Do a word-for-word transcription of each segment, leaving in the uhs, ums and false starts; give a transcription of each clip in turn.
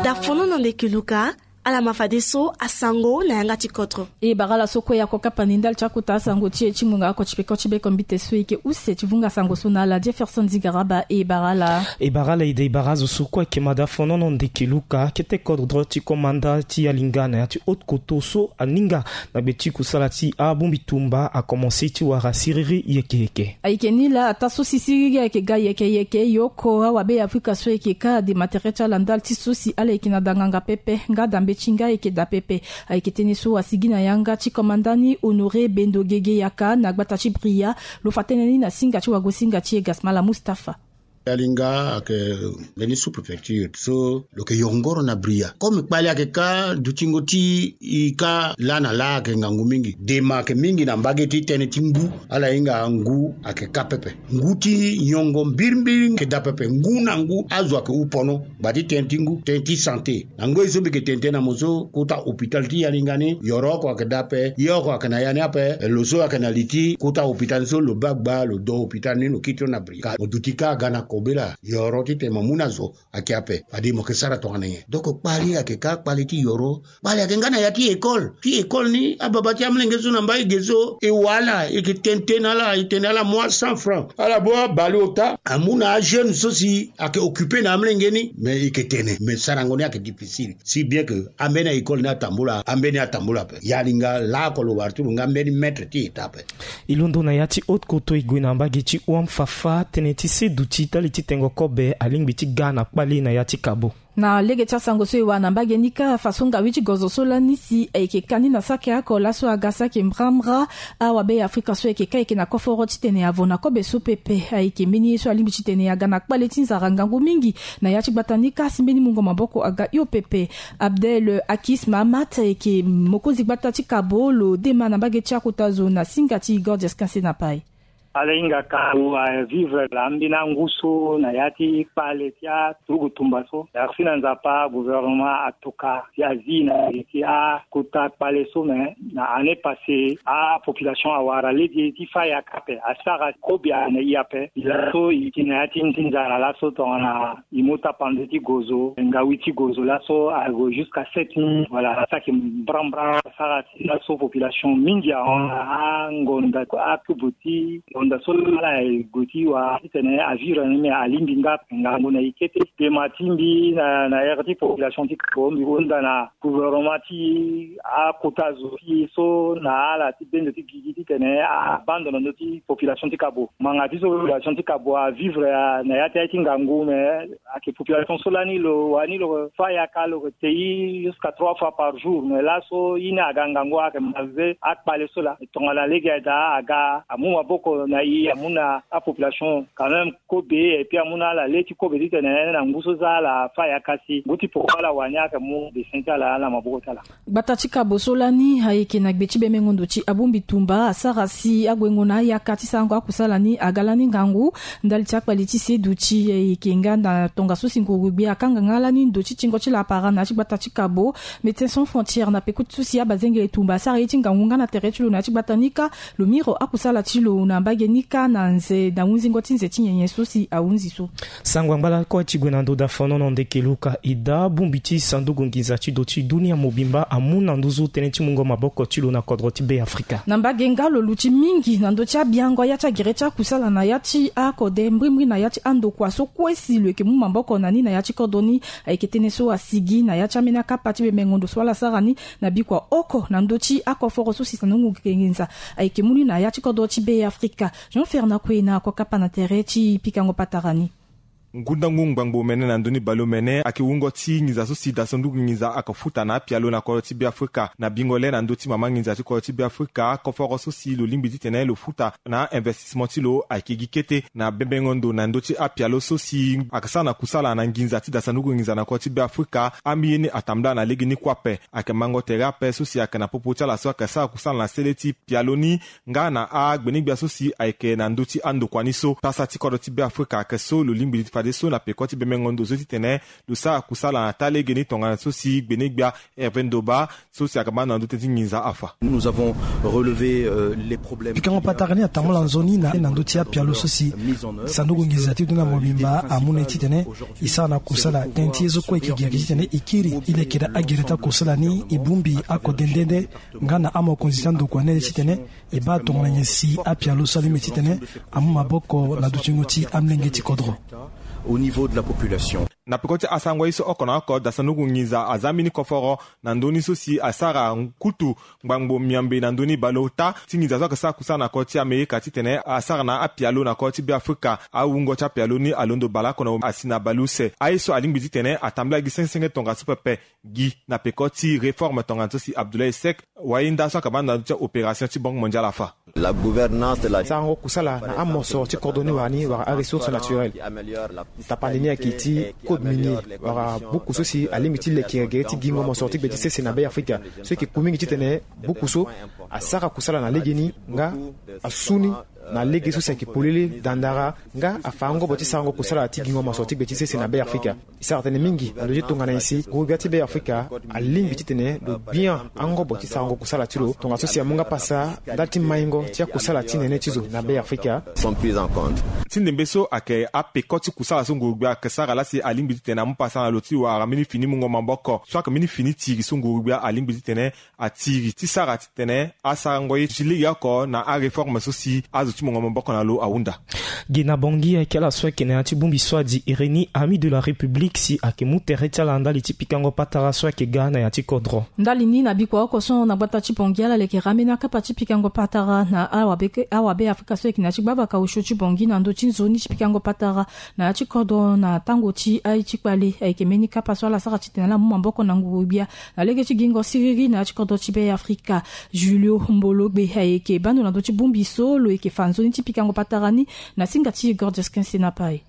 Dafono na ndeke luka. Ala ma fadeso asango na yanga ti kodro. E bara ala so kue ako kapa ni ndali ti akota asango ti e ti ngonga oko ti peko ti beko mbite so e yeke use ti vunga sango so na ala. Jefferson Zigaraba, e bara ala. E bara ala ede, e bara azo so kue ayeke ma dafono na ndeke luka, kete kodro ti komanda ti alinga na ya ti haute koto so aninga na gbe ti kusala ti abongbi tumba akomanse ti wara siriri yeke yeke. Ayeke ni laa ataa so si siriri ayeke ga yeke yeke, yoko awabe ya afrika so ayeke ka ade ma tere ti ala ndali ti so si ala yeke na danganga pepe nga dambe ti nga ayeke daa pepe. Ayeke tënë so asigi na yanga ti komanda ni honoré bendo gege yaka na gbata ti bria. Lo fa tënë ni na singa ti wagosinga ti e gasmala mustafa. Alinga ayeke mbeni sous-préfecture so lo yeke yongoro na bria. Comme kpali ayeke ka dutingo ti e ka laa na laa ayeke ngangu mingi. Dema ayeke mingi na mbage ti tënë ti ngu. Ala hinga ngu ayeke ka pepe. Ngu ti nyongo mbirimbiri ayeke daa pepe. Ngu na ngu azo ayeke hu pono. Gba ti tënë ti ngu, tënë ti santé. Na ngoi so mbi yeke tene tënë na mo so, kota hôpital ti yalinga ni yoro oko ayeke daa ape. Ye oko ayeke na ya ni ape. Lo so ayeke na li ti kota hôpital ni so lo baa gba lo do hôpital ni lo kiri ti lo na bri ka mo duti ka aga na kobela. Yoro titene mo mu na zo ayeke ape. Fade mo yeke sara tongana nyen? Donc kpali ayeke ka kpali ti yoro. Kpali ayeke nga na ya ti école. Ti école ni ababa ti amolenge so na mbai ge so e wa ala, e yeke tene tënë na ala, e tene ala mu a cent francs. Ala baa abale ota amu na ajeune so si ayeke occupe na amolenge ni. Mais e yeke tene, mais sarango ni ayeke difficile. Si bien que ambeni a école ni atambula, ambeni atambula ape. Yalinga laoko lo wara ti lo nga mbeni maître ti eta ape. E londo na ya ti haute koto e gue na mbage ti wam fafa, tënë ti se duti ndali ti tengo kobe alingbi ti ga na kpali na ya ti kabo. Na lege ti asango so e wara na mbage ni kâ, fa so ngawi ti gozo so lani si ayeke ka ni na saki oko laso aga saki mbrambra. Awabe ya afrika so ayeke ka ayeke na koforo titene avo na kobe so pepe. Ayeke mbeni ye so alingbi titene aga na kpale ti nzara ngangu mingi na ya ti gbata ni kâ si mbeni mungo maboko aga hio pepe. Abdel akis mahamat ayeke mokonzi gbata ti kabo lo dema na mbage ti akota zo na singa ti gorges quinze na pai. Ala hinga ka lo avivre laa mbeni angu so na ya ti kpale ti aturugu tumba so. Merci na nzapa gouvernement atoka si azi na ye ti akota kpale so me na année passée apopulation awara lege ti fa yaka ape asara kobe na e ape. Laso e yeke na ya ti nzara laso tongana e mu tapande ti gozo ngawi ti gozo laso ague jusqu'à sept mille. Voilà, asaki mbrambra asara laso population mingi ahon na angonda akubu ti ngonda so laa e gue ti wa titene avivre ni me alingbi nga ngangu na e kete. Dema ti mbi na na ere ti population ti koko mbi hunda na gouvernement ti akota zo ti e so na ala ti bendo ti gigi titene abando na ndö ti population ti kabo. Ngbanga ti so population ti kabo avivre na ya ti aye ti ngangu me ayeke population so lani lo wani lo fa yaka lo te i jusqu'à trois fois par jour. Mais laso i ni aga ngangu ayeke malgré akpale so laa tongana lege aye daa aga amu maboko na i amu na apopulation quand même kobe. Et puis amu na ala le ti kobe titene na ngu so za ala fa yaka si ngu ti poko ala wani ayeke mu dessin ti ala na maboko ti ala. Gbata ti kabo so lani ayeke na gbe ti bemengo ndo ti abongbi tumba asara si aguengo na ayaka ti sarango akusala ni aga lani ngangu. Ndali ti akpali ti seduti ayeke nga na tongaso si nguru gbia akanga nga lani ndo ti tingo ti lapara na ya ti gbata ti kabo. Médecins sans frontières na peko ti so si abazengele tumba asara ye ti ngangu nga na tere ti lo na ya ti gbata ni kâ. Lo miro akusala ti lo na mbage ni kâ na nze na hunzingo ti nze ti nyenye so si ahunzi so. Sango angba lakue ti gue na ndo dafono na ndeke luka e daa bongbi ti sanduku nginza ti do ti dunia mobimba amu na nduzu tënë ti mungo maboko ti lo na kodro ti be afrika. Na mbage nga lo luti mingi na ndö ti abiango ya ti agere ti akusala na ya ti akode mbrimbri na ya ti andokua so kue si lo yeke mu maboko na ni na ya ti kodro ni. Ayeke tënë so asigi na ya ti ambeni akapa ti bemengo ndo so ala sara ni na bikua oko na ndö ti akoforo so si sanduku nginza ayeke mu ni na ya ti kodro ti be afrika. Jean Fernand Kouena ako kapa na tere ti pikango patara ni. Ngundangu ngbangbo mene na ndö ni baleomene ayeke wungo ti nginza so si dasanduku nginza ayeke futa na apialo na kodro ti be afrika na bingo le na ndö ti mama nginza ti kodro ti be afrika koforo so si lo lingbi titene lo futa na investissement ti lo ayeke gi kete na bembengo ndo na ndö ti apialo so si ayeke sara na kusala na nginza ti dasanduku nginza na kodro ti be afrika. Ambi ye ni atambula na lege ni kue ape ayeke mango tere ape so si ayeke na popo ti ala so ayeke sara kusala na sele ti pialo ni nga na agbeni-gbia so si ayeke na ndö ti andokua ni so pasa ti kodro ti be afrika ayeke so lo lingbi ti Fadeso na peko ti bemengo ndo so titene lo sara kusala na taa legeni tongana so si gbenegbia Hervé Ndoba so si ayeke baa na ndö tënë ti nginza afa. Nous avons relevé les problèmes. Pikango patara ni atambula nzoni na ndö ti apialo so si sanduku nginza ti dunia mobimba amu na e titene e sara na kusala. Tënë ti ye so kue e yeke gere titene e kiri e leke daa agere ti akusala ni e bongbi akode nde nde nga na amokonzi ti andokua ni titene e baa tongana nyen si apialo so alingbi titene amu maboko na dutingo ti amolenge ti kodro. Au niveau de la population. Na peko ti asango ye so oko na oko da sanduku nginza aza mbeni koforo na ndö ni so si asara kutu ngbangbo miambe na ndö ni baleota ti nginza so ayeke sara kusala na kodro ti Amerika titene asara na apialo na kodro ti Beafrika. Awungo ti apialo ni alondo baleoko na asi na baleuse. Aye so alingbi titene atambula gi sengesenge tongaso pepe gi na peko ti réforme tongana so si Abdoulaye Seck, wayenda so ayeke baa na ndö ti opération ti Banque Mondiale afa. La gouvernance de la. Sarango kusala na amosoro ti kodro ni wara ni wara aressource naturelle. Tapande ni ayeke ti code minier wala buku so si alingbi ti leke gere ti gingo mosoro ti gbe ti sese na Beafrika. So e yeke ku mingi titene buku so asara kusala na legeni nga asu ni na lege so si ayeke polele dandara nga afa angobo ti sarango kusala ti gingo mosoro ti gbe ti sese na Beafrika. E sara tënë mingi na lo ti tongana nyen si nguru-gbia ti Beafrika alingbi titene lo gbia angobo ti sarango kusala ti lo tongaso si amu nga pasa ndali ti maingo ti akusala ti nene ti zo na Beafrika. Sont prises en compte. Ti ndembe so ayeke apeko ti kusala so nguru-gbia ayeke sara laa si alingbi titene amu pasa na lo ti wara mbeni fini mungo maboko so ayeke mbeni fini tiri so nguru-gbia alingbi titene atiri ti sara titene asarango ye ti legeoko na aréforme so si azo ti mungo maboko na lo ahunda. Gi na Bangui ayeke ala so ayeke na ya ti bongbi so adi iri ni Amis de la République si ayeke mu tere ti ala ndali ti pikango patara so ayeke ga na ya ti kodro. Ndali ni na bikua oko so na gbata ti Bangui ala leke rame na kapa ti pikango patara na awabe awabe Afrika so ayeke na ya ti gbavaka osio ti Bangui na ndö ti nzoni ti pikango patara na ya ti kodro na tango ti aye ti kpale ayeke mbeni kapa so ala sara titene ala mu maboko na nguru-gbia na lege ti gingo siriri na ya ti kodro ti Beafrika. Julio Mbologbe ayeke bando na ndö ti bongbi so lo yeke fa nzoni ti pikango patara ni na singa ti Gordius Kense na Paye.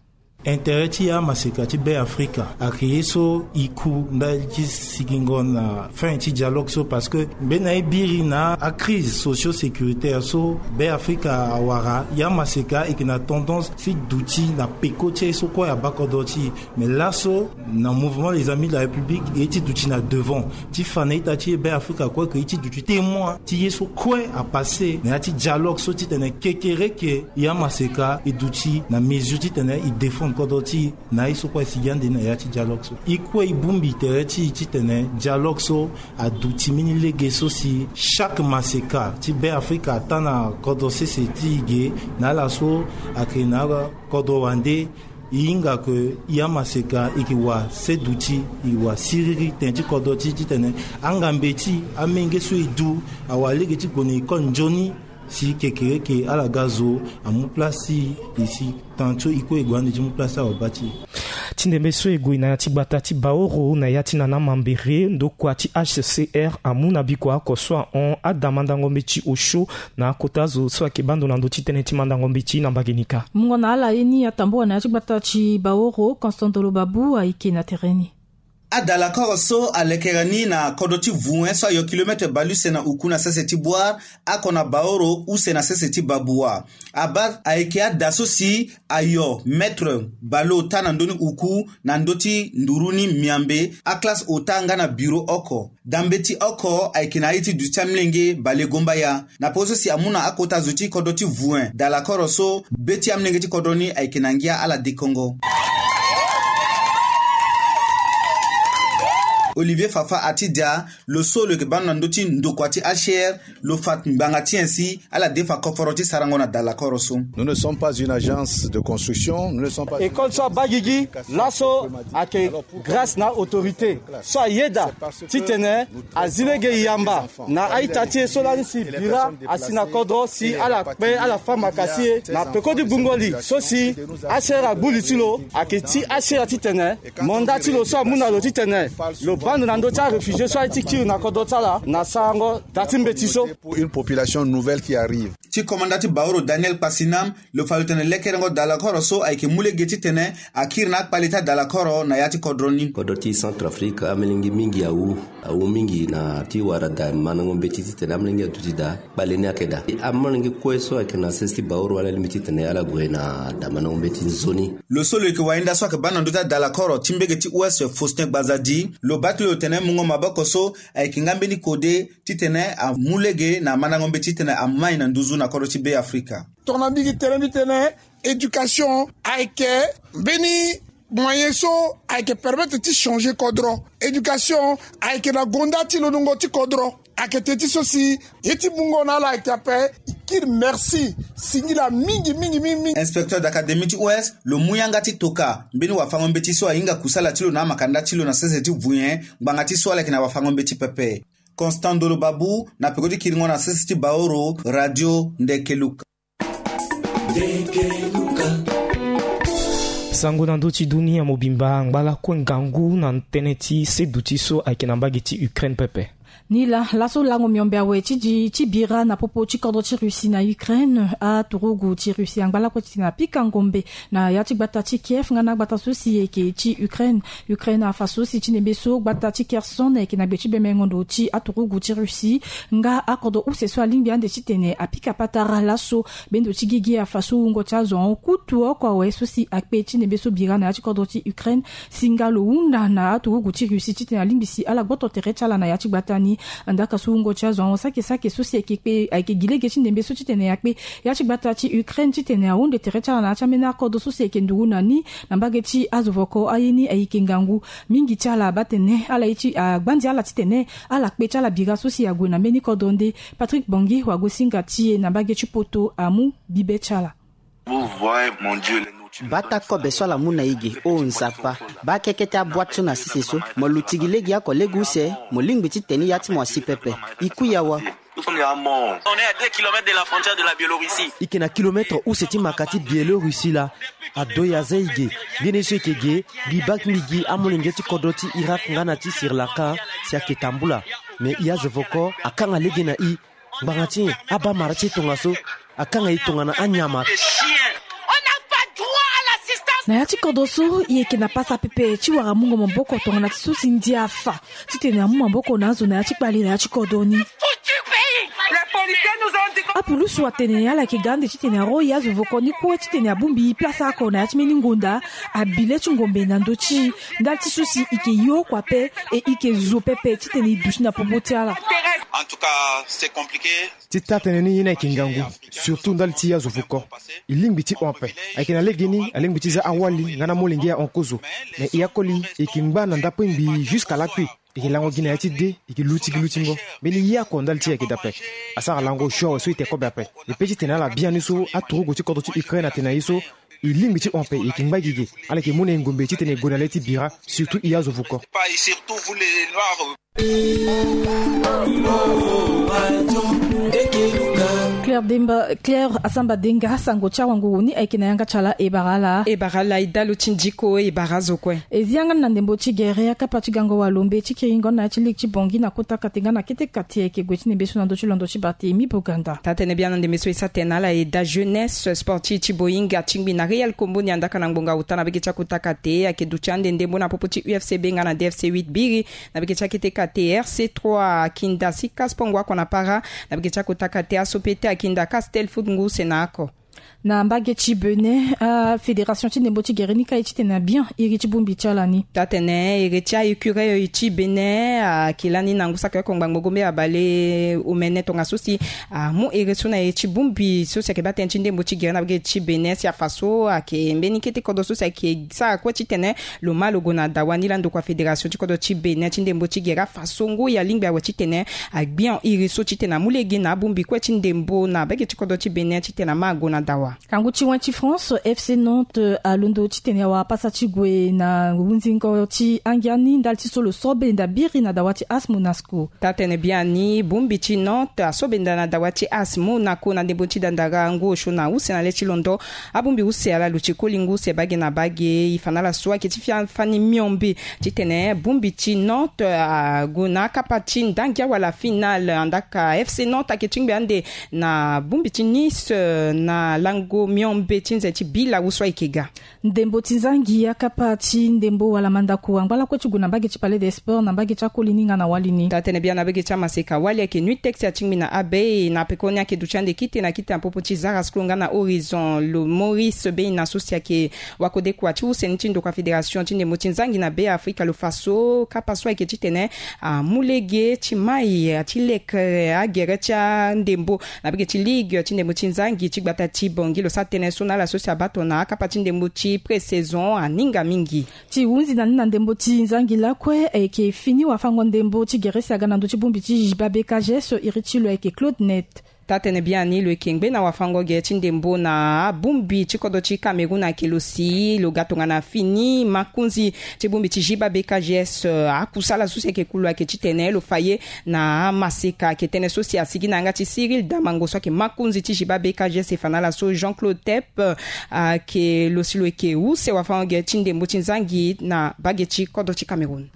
Intérêt ti amaseka ti Beafrika ayeke ye so e ku ndali ti sigingo na fin ti dialogue so parce que mbeni na e biri na acrise socio-sécuritaire so Beafrika awara, e amaseka e yeke na tendance ti duti na peko ti aye so kue abaa kodro ti e. Mais laso na mouvement les Amis de la République e ye ti duti na devant ti fa na ita ti e Beafrika kue ke ye ti duti témoin ti ye so kue apasse na ya ti dialogue so titene kekereke e amaseka e duti na mesure titene e défendre kodro ti e na ye so kue e sigi ande na ya ti dialogue so. E kue e bongbi tere ti e titene dialogue so aduti mbeni lege so si chaque maseka ti Beafrika ataa na kodro sese ti e ge na ala so ayeke na kodro wande. E hinga ke e amaseka e yeke wa seduti, e wa siriri tënë ti kodro ti e titene angambe ti e, amenge so e du awara lege ti gue na école nzoni si kekereke ala ga zo amu place ti e si tantôt e kue e gue ande ti mu place ti awabâ ti e. Ti ndembe so e gue na ya ti gbata ti Baoro na ya ti nana mambere ndokua ti H C R amu na bikua oko so ahon ada mandango mbeti osio na akota zo so ayeke bando na ndö ti tënë ti mandango mbeti na mbage ni kâ. Mungo na ala ye ni atambua na ya ti gbata ti Baoro, Constant Dolo Babu ayeke na tere ni. Adalakoro so alekere ni na kodro ti Vuen so ayo kilometre baleuse na uku na sese ti Bouar, oko na Baoro use na sese ti Baboua. Abaa ayeke ada so si ayo metre baleota na ndö ni uku na ndö ti nduru ni miambe, aklasse ota nga na biro oko. Dambeti oko ayeke na aye ti duti ti amolenge balegombaya. Na peko so si amu na akota zo ti kodro ti Vuen dalakoro so be ti amolenge ti kodro ni ayeke na ngia ala dekongo. Olivier Fafa Atidia, lo so lo yeke baa na ndö ti ndokua ti H C R, lo fa ngbanga ti nyen si ala defa koforo ti sarango na dalakoro so. Nous ne sommes pas une agence de construction, nous ne sommes pas. École so abaa gigi laso ayeke grâce na autorité so ayeda titene azi lege yamba na a-ita ti e so lani si bira asi na kodro si ala kpe ala fâ maka ti e na peko ti gbungo li so si H C R agbu li ti lo ayeke ti H C R titene mandat ti lo so amu na lo titene lo Bande na ndö ti aréfugié so aye ti kiri na kodro ti ala na sarango daa ti mbeti so. Pour une population nouvelle qui arrive. Ti komanda ti Baoro Daniel Kpasinam lo fa lo tene lekerengo dalakoro so ayeke mu lege titene akiri na akpale ti adalakoro na ya ti kodro ni. Kodro ti Centrafrique amelenge mingi awu awu mingi na ti wara daa mandango mbeti titene amelenge aduti daa kpale ni ayeke daa. Amelenge kue so ayeke na sese ti Baoro ala lingbi titene ala gue na daa mandango mbeti nzoni. Lo so lo yeke wainda so ayeke baa na ndö ti adalakoro ti mbege ti ouest Faustin Gbazadi lo baa ti lo tene mungo maboko so ayeke nga mbeni kode titene amu lege na mandango mbeti titene amai na nduzu na kodro ti Be Afrika. Tongana mbi gi tere mbi tene éducation ayeke mbeni moyen so ayeke permettre ti changer kodro. Éducation ayeke na gonda ti lolongo ti kodro. Ayeke teti so si ye ti mungo na ala ayeke ape. E kiri merci singila mingi mingi mingi mingi. Inspecteur d'académie ti ouest lo mu yanga ti toka mbeni wafango mbeti so ahinga kusala ti lo na amakanda ti lo na sese ti vuyen ngbanga ti so ala yeke na wafango mbeti pepe. Constant Ndolo Babu na peko ti kiringo na sese ti Baoro, Radio Ndekeluka. Sango na ndö ti dunia mobimba angba lakue ngangu na tënë ti seduti so ayeke na mbage ti Ukraine pepe. Ni laa laso lango miombe awe ti di ti bira na popo ti kodro ti Russie na Ukraine. Aturugu ti Russie angba lakue titene apika ngombe na ya ti gbata ti Kiev nga na agbata so si eke ti Ukraine. Ukraine afa so si ti ndembe so gbata ti Kherson ayeke na gbe ti bemengo ndo ti aturugu ti Russie. Nga akodro use so alingbi ande titene apika patara laso. Bendo ti gigi afa so wungo ti azo ahon kutu oko awe so si akpe ti ndembe so bira na ya ti kodro ti Ukraine. Si nga lo hunda na aturugu ti Russie titene alingbi si ala gboto tere ti ala na ya ti gbata ni. Ndaka so wungo ti azo ahon sake sake so si ayeke kpe ayeke gi lege ti ndembe so titene akpe ya ti gbata ti Ukraine titene ahunde tere ti ala na ya ti ambeni akodro so si ayeke nduru na ni. Na mbage ti azo voko aye ni ayeke ngangu. Mingi ti ala abaa tene ala ye ti agbanzi ala titene ala kpe ti ala bira so si ague na mbeni kodro nde. Patrick Bongi wagosinga ti e na mbage ti poto amu bibe ti ala. Bata kobe so ala mu na e ge o Nzapa. Baa keke ti aboite so na sese so. Mo luti gi lege oko lege use. Mo lingbi titene ya ti mo asi pepe. E kui awa. E yeke na kilomètre use ti maka ti Biélorussie laa. Ado e aza e ge. Ngbene so e yeke ge. Mbi baa mbi gi amolenge ti kodro ti Irak nga na ti Sri Lanka si ayeke tambula. Me e azo voko akanga lege na e. Ngbanga ti nyen abaa mara ti e tongaso? Akanga e tongana anyama. Na ya ti kodro so e yeke na pasa pepe ti wara mungo maboko tongana ti so si ndia afa titene amu maboko na azo na ya ti kpale na ya ti kodro ni. Apulusu atene ala yeke ga ande titene aro e azo voko ni kue titene abongbi place oko na ya ti mbeni ngonda. Abi le ti ngombe na ndö ti e ndali ti so si e yeke ye oko ape. E yeke zo pepe titene e duti na popo ti ala. Ti taa tënë ni ye ni ayeke ngangu. Surtout ndali ti e azo voko. E lingbi ti hon ape. Ayeke na legeni alingbi ti za awali nga na amolenge ahon kozo. Me e akoli e yeke ngba na ndapengbi jusqu'à lakui. E yeke lango gi na ya ti de. E yeke luti gi lutingo. Mbeni ye oko ndali ti e ayeke daa ape. Asara lango sio awe so e te kobe ape. E pe titene ala biani so aturugu ti kodro ti Ukraine atene na e so. E lingbi ti hon ape e yeke ngba gi ge. Ala yeke mu na e ngombe titene e gue na le ti bira. Surtout e azo voko. Claire Demba, Claire Asamba Denga, sango ti awanguru ni ayeke na yanga ti ala e bara ala. E bara ala e dalo ti ndiko e bara azo kue. E zi yanga ni na ndembo ti gere akapa ti gango walombe ti kiringo na ya ti lege ti Bongi na kota kate nga na kete kate ayeke gue ti ndembe so na ndö ti londo ti Barthélemy Boganda. Taa tënë biani na ndembe so e sa tene na ala e daa jeunesse sportive ti Boinga ti ngbi na Real Kombo ni andaka na ngbonga ota na bege ti akota kate ayeke duti ande ndembo na popo ti U F C B nga na D F C huit biri. Na bege ti akete kate R C trois akinda Sika Spongo oko na para. Na bege ti akota kate aso pete akinda Castel Foot ngu use na oko. Na mbage ti Benin, afédération ti ndembo ti gere ni ka ye titene abian iri ti bongbi ti ala ni. Taa tene iri ti a-écureuil ti Benin ayeke lani na ngu saki oko ngbangbo gombe abale omene tongaso si amu iri so na iri ti bongbi so si ayeke baa tënë ti ndembo ti gere na mbage ti Benin si afa so ayeke mbeni kete kodro so si ayeke sara kue titene lo ma lo gue na dawa ni laa ndokua fédération ti kodro ti Benin ti ndembo ti gere afa so ngoi alingbi awe titene agbian iri so titene amu lege na abongbi kue ti ndembo na mbage ti kodro ti Benin titene ama ague na Dawa. Kangu ti wen ti France, FC Nantes alondo titene awara pasa ti gue na hunzingo ti angia ni ndali ti so lo so benda biri na dawa ti AS Monaco. Taa tene biani bongbi ti Nantes aso benda na dawa ti AS Monaco na ndembo ti dandara ngu osio na use na le ti londo. Abongbi use ala lo ti koli ngu use bage na bage. E fa na ala so ayeke ti fia fani miombe titene bongbi ti Nantes ague na akapa ti ndangia wala finale. Andaka FC Nantes ayeke ti ngbe ande na bongbi ti Nice na lango miombe ti nze ti bila wu so ayeke ga. Ndembo ti nzangi akapa ti ndembo wala mandako angba lakue ti gue na mbage ti Palais des Sports na mbage ti akoli ni nga na wali ni. Taa tene biani na mbage ti amaseka wali ayeke Nuit Texia ti ngbi na abe na pekoni ayeke duti ande kite na kite na popo ti Zara School nga na Horizon. Lo Maurice Beina so si ayeke wakodekua ti use ni ti ndokua fédération ti ndembo ti nzangi na Be Afrika lo fa so kapa so ayeke titene amu lege ti mai ti leke agere ti andembo na mbage ti ligue ti ndembo ti nzangi ti gbata ti Bangui. Lo sara tënë so na ala so si abaa tongana akapa ti ndembo ti pré-saison aninga mingi. Ti hunzi na ni na ndembo ti nzangi lakue ayeke fini wafango ndembo ti gere si aga na ndö ti bongbi ti J B A B K G S iri ti lo ayeke Claude Net. Taa tene biani lo yeke ngbe na wafango gere ti ndembo na abongbi ti kodro ti Cameroun ayeke lo si lo ga tongana fini makonzi ti bongbi ti J B A B K G S. Akusala so si ayeke ku lo ayeke titene lo fa ye na amaseka ayeke tënë so si asigi na yanga ti Cyril Damango so ayeke makonzi ti J B A B K G S. E fa na ala so Jean Claude Tep ayeke lo si lo yeke use wafango gere ti ndembo ti nzangi na mbage ti kodro ti Cameroun.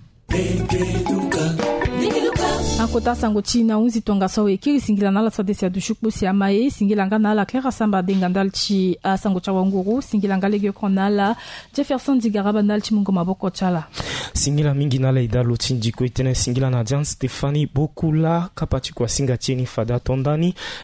Akota asango ti na hunzi tongaso awe kiri. Singila na ala so ade si aduti kpo si ama ye. Singila nga na ala Claire Asamba adenga ndali ti asango ti awanguru. Singila nga lege oko na ala Jefferson Digaraba ndali ti mungo maboko ti ala. Singila mingi na ala eda lo ti ndiko e tene singila na Diane Stéphanie Bokula kapa ti kua singa ti e ni fade ato ndani.